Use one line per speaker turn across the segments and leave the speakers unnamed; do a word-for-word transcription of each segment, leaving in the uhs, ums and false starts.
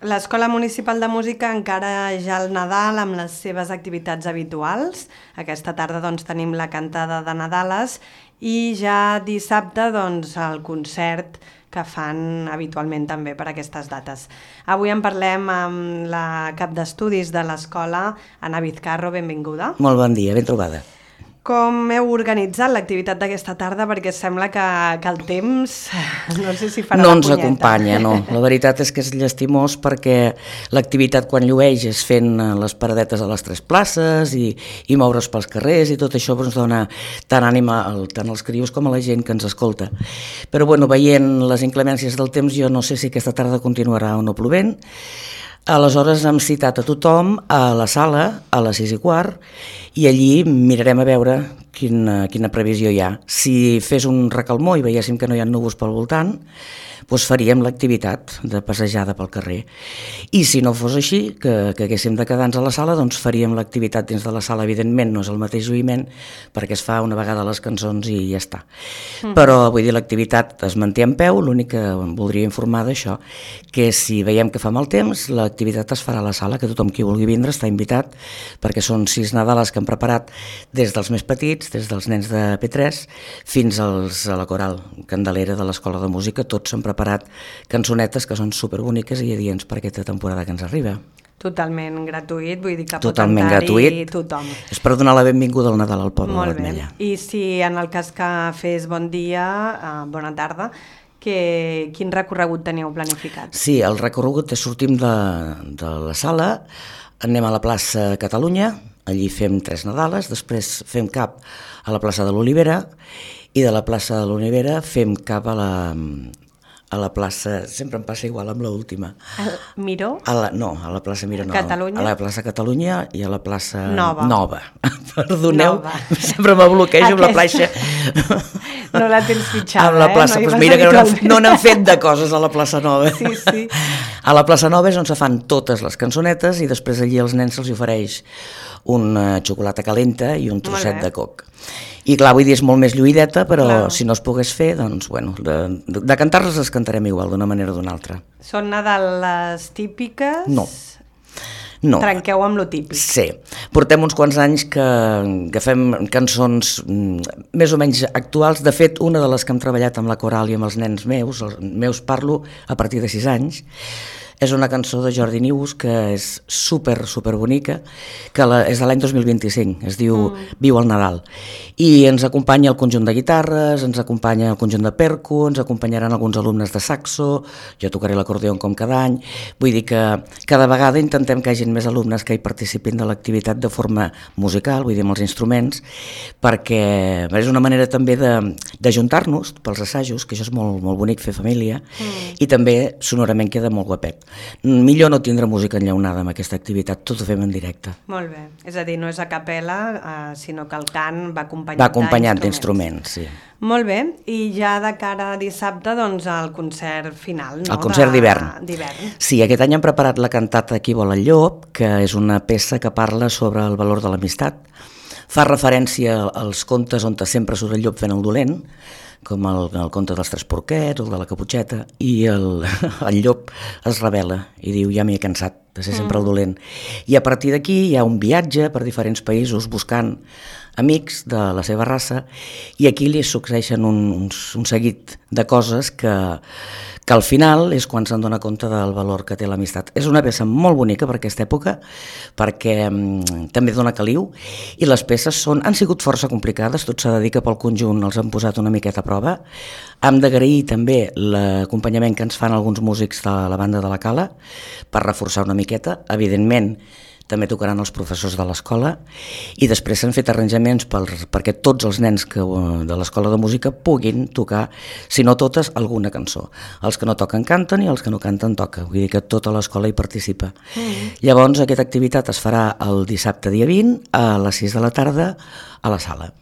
L'Escola Municipal de Música encara ja el Nadal amb les seves activitats habituals. Aquesta tarda doncs, tenim la cantada de Nadales i ja dissabte doncs, el concert que fan habitualment també per aquestes dates. Avui en parlem amb la cap d'estudis de l'escola, Anna Vizcarro, benvinguda.
Molt bon dia, ben trobada.
Com heu organitzat l'activitat d'aquesta tarda? Perquè sembla que, que el temps no sé si farà
no
la punyeta.
No ens acompanya, no. La veritat és que és llastimós perquè l'activitat quan llueix és fent les paradetes a les tres places i, i moure's pels carrers i tot això ens dona tant ànima tant als crios com a la gent que ens escolta. Però bueno, veient les inclemències del temps jo no sé si aquesta tarda continuarà o no plovent. Aleshores hem citat a tothom a la sala a les sis i quart i allí mirarem a veure quina, quina previsió hi ha. Si fes un recalmó i veiéssim que no hi ha núvols pel voltant, doncs faríem l'activitat de passejada pel carrer. I si no fos així, que, que haguéssim de quedar-nos a la sala, doncs faríem l'activitat dins de la sala. Evidentment no és el mateix oïment perquè es fa una vegada les cançons i ja està. Mm. Però vull dir, l'activitat es manté en peu, l'únic que em voldria informar d'això, que si veiem que fa mal temps, l'activitat es farà a la sala, que tothom qui vulgui vindre està invitat, perquè són sis Nadales que hem preparat des dels més petits, des dels nens de P tres, fins als, a la coral Candelera de l'Escola de Música, tots s'han preparat cançonetes que són superboniques i adients per aquesta temporada que ens arriba.
Totalment gratuït, vull dir que
Totalment
pot
gratuït.
Tothom.
És per donar la benvinguda al Nadal al poble de l'Ametlla.
I si en el cas que fes bon dia, eh, bona tarda, que, quin recorregut teniu planificat?
Sí, el recorregut és sortim de, de la sala, anem a la plaça Catalunya, allí fem tres Nadales, després fem cap a la plaça de l'Olivera i de la plaça de l'Olivera fem cap a la... a la plaça, sempre em passa igual amb l'última.
El Miró?
A la, no, a la plaça Miró no.
Catalunya?
A la plaça Catalunya i a la plaça
Nova.
Nova. Perdoneu,
Nova.
Sempre me bloquejo amb la plaça.
No la tens fitxada,
amb la plaça,
eh? No,
pues mira que no, no n'han fet de coses a la plaça Nova.
Sí, sí.
A la plaça Nova és on se fan totes les cançonetes i després allí als nens se'ls ofereix una xocolata calenta i un trosset de coc. I clar, vull dir, és molt més lluïdeta, però clar, si no es pogués fer, doncs, bueno, de, de, de cantar-les les cantarem igual, d'una manera o d'una altra.
Són Nadales típiques?
No. No.
Trenqueu amb lo típic.
Sí. Portem uns quants anys que, que fem cançons més o menys actuals. De fet, una de les que hem treballat amb la coral i amb els nens meus, els meus parlo a partir de sis anys, és una cançó de Jordi Nius que és super, super bonica, que la, és de l'any dos mil vint-i-cinc, es diu mm. Viu el Nadal. I ens acompanya el conjunt de guitarres, ens acompanya el conjunt de percu, ens acompanyaran alguns alumnes de saxo, jo tocaré l'acordeó com cada any, vull dir que cada vegada intentem que hi hagi més alumnes que hi participin de l'activitat de forma musical, vull dir amb els instruments, perquè és una manera també d'ajuntar-nos pels assajos, que això és molt, molt bonic fer família, mm. i també sonorament queda molt guapet. Millor no tindre música enllaunada amb aquesta activitat, tot ho fem en directe.
Molt bé, és a dir, no és a capella, eh, sinó que el cant va acompanyat,
va acompanyat d'instruments. Sí.
Molt bé, i ja de cara a dissabte, doncs el concert final, no?
El concert d'hivern.
d'hivern.
Sí, aquest any hem preparat la cantata Qui vol el llop, que és una peça que parla sobre el valor de l'amistat. Fa referència als contes on sempre surt el llop fent el dolent, com el, el conte dels tres porquets, el de la caputxeta, i el, el llop es rebel·la i diu ja m'hi he cansat de ser sempre el dolent. I a partir d'aquí hi ha un viatge per diferents països buscant amics de la seva raça i aquí li succeeixen un, un, un seguit de coses que, que al final és quan se'n dona compte del valor que té l'amistat. És una peça molt bonica per aquesta època perquè mm, també dona caliu i les peces són, han sigut força complicades, tot s'ha de dir que pel conjunt els han posat una miqueta a prova. Hem d'agrair també l'acompanyament que ens fan alguns músics de la banda de la Cala per reforçar una miqueta, evidentment també tocaran els professors de l'escola i després s'han fet arranjaments per, perquè tots els nens que, de l'escola de música puguin tocar, si no totes, alguna cançó. Els que no toquen canten i els que no canten toca, vull dir que tota l'escola hi participa. Mm. Llavors aquesta activitat es farà el dissabte dia vint a les sis de la tarda a la sala.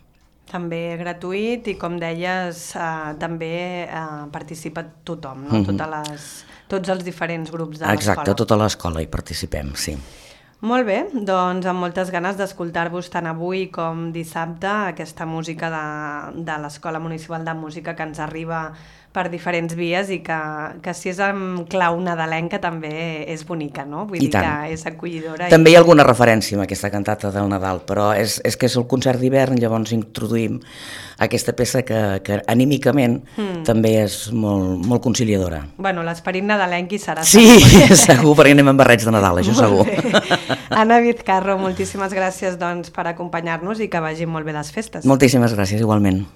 També gratuït i com deies eh, també eh, participa tothom, no? Mm-hmm. Totes les, tots els diferents grups de l'escola.
Exacte, tota l'escola hi participem, sí.
Molt bé, doncs amb moltes ganes d'escoltar-vos tant avui com dissabte aquesta música de, de l'Escola Municipal de Música que ens arriba per diferents vies i que, que si és amb clau nadalenca també és bonica, no? Vull dir que és acollidora.
També hi ha alguna referència amb aquesta cantata del Nadal, però és, és que és el concert d'hivern, llavors introduïm aquesta peça que, que anímicament mm. també és molt, molt conciliadora.
Bueno, l'esperit nadalenc hi serà.
Sí, segur, perquè anem amb barrets de Nadal, això segur.
Anna Vizcarro, moltíssimes gràcies doncs, per acompanyar-nos i que vagin molt bé les festes.
Moltíssimes gràcies, igualment.